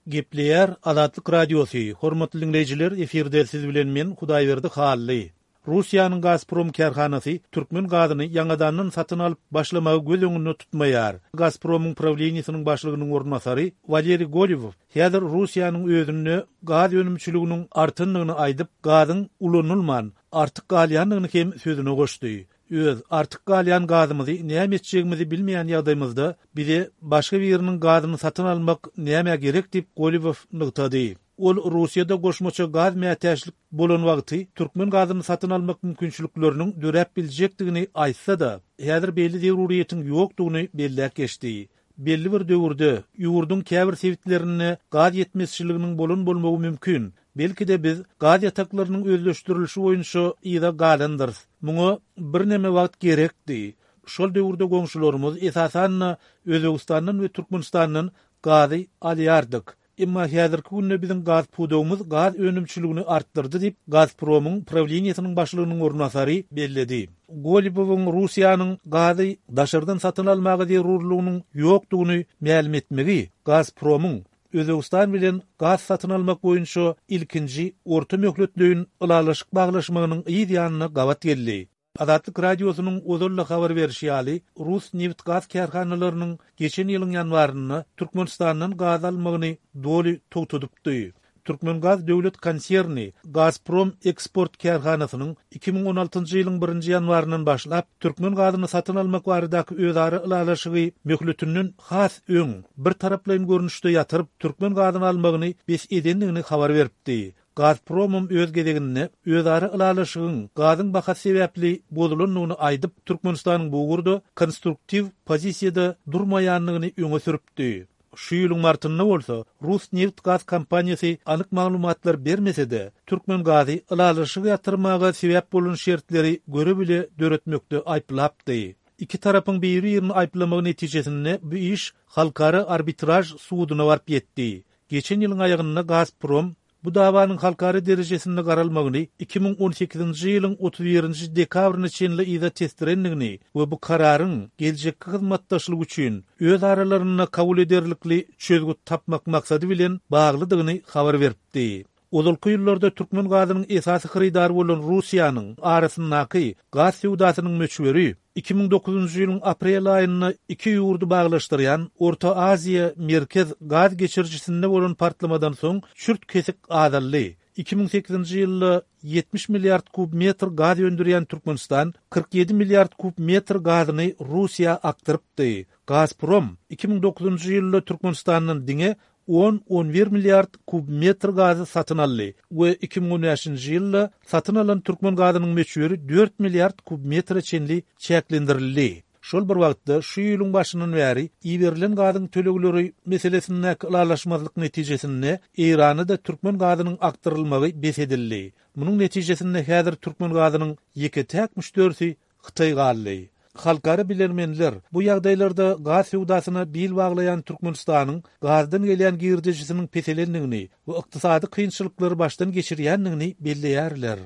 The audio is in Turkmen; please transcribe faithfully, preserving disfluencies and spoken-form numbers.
Gepleýär Azatlyk Radiosy, Hormatly diňleýjiler, efirde siz bilen men Hudaýberdi Hally. Russiýanyň Gazprom kärhanasy türkmen gazyny ýaňadandan satyn alyp başlamagy göz öňünde tutmaýar. Gazpromyň prawleniýesiniň başlygynyň orunbasary Waleriý Golewow häzir Russiýanyň özünde gaz önümçiliginiň artandygyny aýdyp, gazyň ulanylman, artyk galýandygyny hem sözüne goşdy. Öz artyk galýan gazymyzy näme etjegimizi bilmeýän ýagdaýymyzda bize başga biriniň gazyny satyn almak nämä gerek diýip Golewow nygtady. Ol Russiýada goşmaça gaz mätäçlik bolan wagty türkmen gazyny satyn almak mümkinçilikleriniň döräp biljekdigini aýtsa-da, häzir beýle zeruriyetiň ýokdugyny belläp geçdi. Belli bir döwürde ýurduň käbir sebitlerinde gaz ýetmezçiliginiň bolan bolmagy mümkin. Belki-de biz gaz ýataklarynyň özleşdirilişi boýunça yza galandyrys. Muňa birneme wagt gerekdi. Şol döwürde goňşularymyz esasan-da Özbegistandan we Türkmenistandan gazy alýardyk. Emma häzirki günde biziň gaz pudagymyz gaz önümçiligini artdyrdy diýip, Gazpromyň prawleniýesiniň başlygynyň orunbasary belledi. Golybowyň Russiýanyň gazy daşardan satyn almaga zerurlygynyň ýokdugyny mälim etmegi Gazpromyň Özbegistan bilen gaz satyn almak boýunça ilkinji orta möhletleýin ylalaşyk baglaşmagynyň yz ýanyna gabat geldi. Azatlyk Radiosynyň ozal-da habar berişi ýaly, rus nebit-gaz kärhanalarynyň geçen ýylyň ýanwarynda Türkmenistandan gaz almagyny doly togtadypdy. Türkmengaz döwlet konserni Gazprom eksport kärhanasynyň iki müň on altynjy ýylyň birinji ýanwaryndan başlap türkmen gazyny satyn almak baradaky özara ylalaşygy möhletinden has öň birtaraplaýyn görnüşde ýatyryp, türkmen gazyny almagyny bes edendigini habar beripdi. Gazpromam öz gezeginde özara ylalaşygyň gazyň bahasy sebäpli bozulandygyny aýdyp, Türkmenistanyň bu ugurda konstruktiw pozisiýada durmaýandygyny öňe sürüpdi. Şu ýylyň martynda bolsa rus nebit-gaz kompaniýasy anyk maglumatlar bermese-de, türkmen gazy ylalaşygy ýatyrmaga sebäp bolan şertleri göre-bile döretmekde aýyplapdy. Iki tarapyň biri-birini aýyplamagy netijesinde bu iş halkara arbitraž suduna baryp ýetdi. Geçen ýylyň aýagynda Gazprom bu dawanyň halkara derejesinde garalmagyny iki müň on sekizinji ýylyň otuz birinji dekabryna çenli yza tesdirendigini we bu kararyň geljekki hyzmatdaşlyk üçin öz aralarynda kabul ederlikli çözgüt tapmak maksady bilen baglydygyny habar beripdi. Ozalky ýyllarda türkmen gazynyň esasy hyrydary bolan Russiýanyň arasyndaky gaz söwdasynyň möçberi iki müň dokuzynjy ýylyň aprel aýynda iki ýurdy baglaşdyrýan Orta Aziýa merkez gaz geçirijisinde bolan partlamadan soň çürt-kesik azaldy. Iki müň sekizinji ýylda ýetmiş milliard kub metr gaz öndürýän Türkmenistan kyrk ýedi milliard kub metr gazyny Russiýa akdyrypdy. Gazprom iki müň dokuzynjy ýylda Türkmenistandan diňe on-on bir milliard kub metr gazy satyn aldy we iki müň on bäşinji ýylda satyn alan türkmen gazynyň möçberi dört milliard kub metre çenli çäklendirildi. Şol bir wagtda şu ýylyň başyndan bäri iberilen gazyň tölegleri meselesindäki ylalaşmazlyk netijesinde Eýrana-da türkmen gazynyň akdyrylmagy bes edildi. Munuň netijesinde häzir türkmen gazynyň ýeke-täk müşderisi Hytaý galdy. Halkara bilermenler bu ýagdaýlarda gaz söwdasyna bil baglaýan Türkmenistanyň gazdan gelýän girdejisiniň peselendigini we ykdysady kynçylyklary başdan geçirýändigini belleýärler.